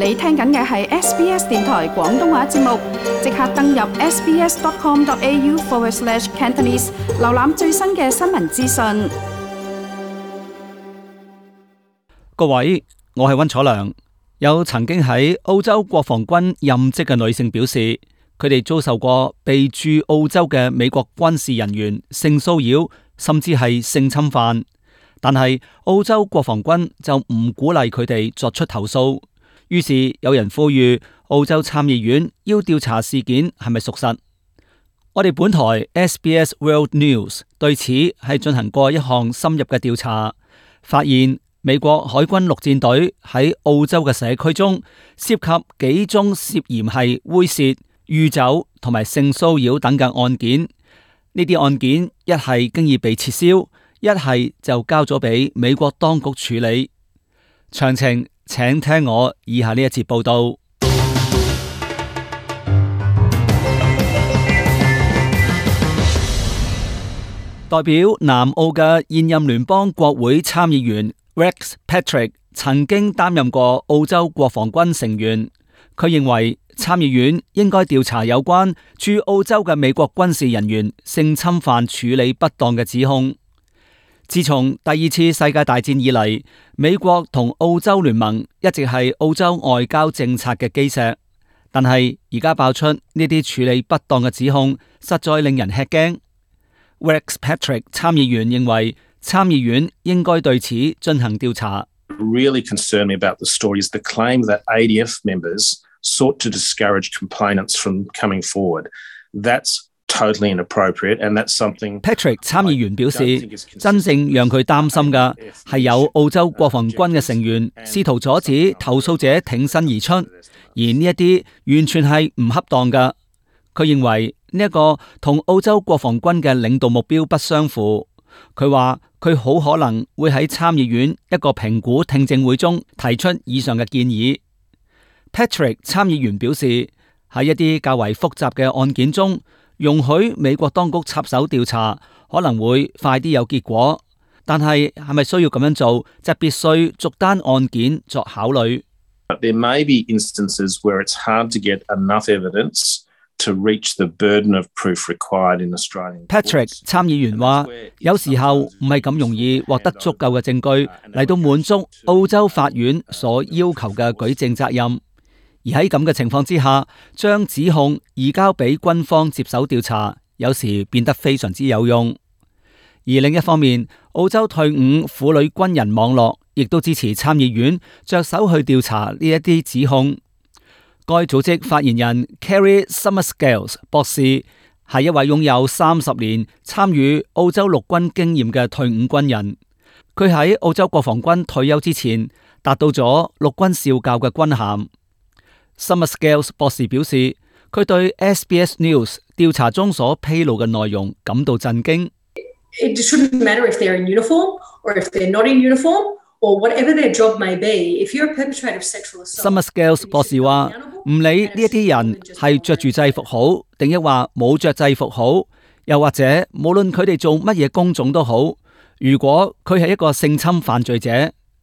你聽緊嘅係 SBS 電台廣東話節目，即刻登入 sbs.com.au/Cantonese 瀏覽最新嘅新聞資訊。各位，我係溫楚良。有曾經喺澳洲國防軍任職嘅女性表示，佢哋遭受過被駐澳洲嘅美國軍事人員性騷擾，甚至係性侵犯。但係澳洲國防軍就唔鼓勵佢哋作出投訴。於是有人呼籲澳洲參議院要調查事件係咪屬實。我哋本台 SBS World News 對此係進行過一項深入嘅調查，發現美國海軍陸戰隊喺澳洲嘅社區中涉及幾宗涉嫌係猥褻、酗酒同埋性騷擾等嘅案件。呢啲案件一係經已被撤銷，一係就交咗俾美國當局處理。詳情請聽我以下呢一節報道。代表南澳嘅現任聯邦國會參議員 Rex Patrick 曾經擔任過澳洲國防軍成員。佢認為參議院應該調查有關駐澳洲嘅美國軍事人員性侵犯處理不當嘅指控。自從第二次世界大戰以嚟，美國同澳洲聯盟一直係澳洲外交政策嘅基石。但係而家爆出呢啲處理不當嘅指控，實在令人吃驚。Rex Patrick 參議員認為參議院應該對此進行調查。Really concerned me about the story is the claim that ADF members sought to discourage complainants from coming forward. That's totally inappropriate, and that's something Patrick 參議員表示，真正讓佢擔心嘅係有澳洲國防軍嘅成員試圖阻止投訴者挺身而出，而呢一啲完全係唔恰當嘅。佢認為呢一個同澳洲國防軍嘅領導目標不相符。佢話佢好可能會喺參議院一個評估聽證會中提出以上嘅建議。Patrick 參議員表示，喺一啲較為複雜嘅案件中，容許美國當局插手調查可能會快啲有結果，但係係咪需要咁樣做，就必須逐單案件作考慮。There may be instances where it's hard to get enough evidence to reach the burden of proof required in Australian courts. Patrick 參議員話，有時候唔係咁容易獲得足夠嘅證據嚟到滿足澳洲法院所要求嘅舉證責任。而喺咁嘅情況之下，將指控移交俾軍方接手調查，有時變得非常之有用。而另一方面，澳洲退伍婦女軍人網絡亦都支持參議院着手去調查呢一啲指控。該組織發言人 Kerry Summerscales 博士係一位擁有30年參與澳洲陸軍經驗嘅退伍軍人。佢喺澳洲國防軍退休之前達到咗陸軍少校嘅軍銜。Summerscales 博士表示，佢對 SBS News 調查中所披露嘅內容感到震驚。It shouldn't matter if they're in uniform or if they're not in uniform or whatever their job may be. If you're a perpetrator of sexual assault, Summerscales 博士話，唔理呢一啲人係着住制服好，定抑或冇着制服好，又或者無論佢哋做乜嘢工種都好，如果佢係一個性侵犯罪者，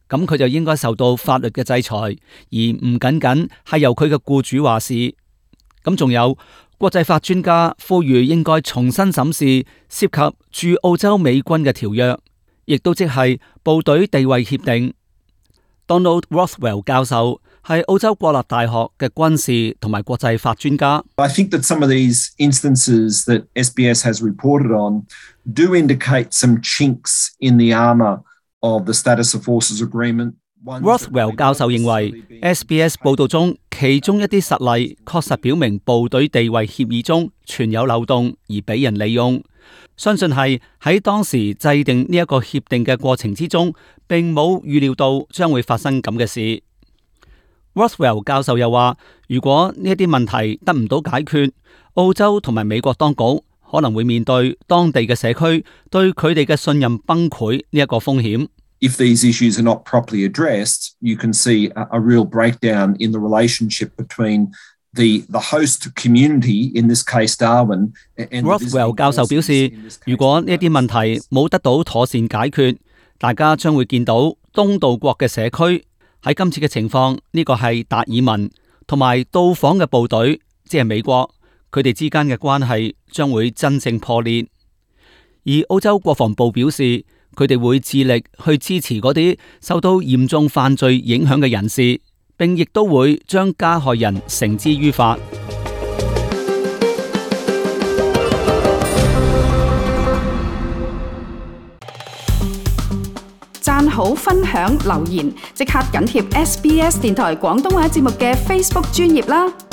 咁佢就應該受到法律嘅制裁，而唔僅僅係由佢嘅僱主話事。咁仲有國際法專家呼籲應該重新審視涉及駐澳洲美軍嘅條約，亦都即係部隊地位協定。Donald Rothwell 教授係澳洲國立大學嘅軍事同埋國際法專家。I think that some of these instances that SBS has reported on do indicate some chinks in the armour of the Status of Forces Agreement. Rothwell 教授認為 SBS 報道中其中一啲實例確實表明部隊地位協議中存有漏洞而俾人利用，相信係喺當時制定呢一個協定嘅過程之中並冇預料到將會發生咁嘅事。Rothwell 教授又話，如果呢一啲問題得唔到解決，澳洲同埋美國當局可能會面對當地嘅社區對佢哋嘅信任崩潰呢一個風險。If these issues are not properly addressed, you can see a real breakdown in the relationship between the host community, in this case Darwin, and Rothwell 教授表示，如果呢啲問題冇得到妥善解決，大家將會見到東道國嘅社區喺今次嘅情況，呢個係達爾文同埋到訪嘅部隊，即係美國，佢哋之間嘅關係將會真正破裂。而澳洲國防部表示，佢哋會致力去支持嗰啲受到嚴重犯罪影響嘅人士，並亦都會將加害人繩之於法。讚好、分享、留言，即刻緊貼SBS 電台廣東話節目嘅 Facebook 專頁啦！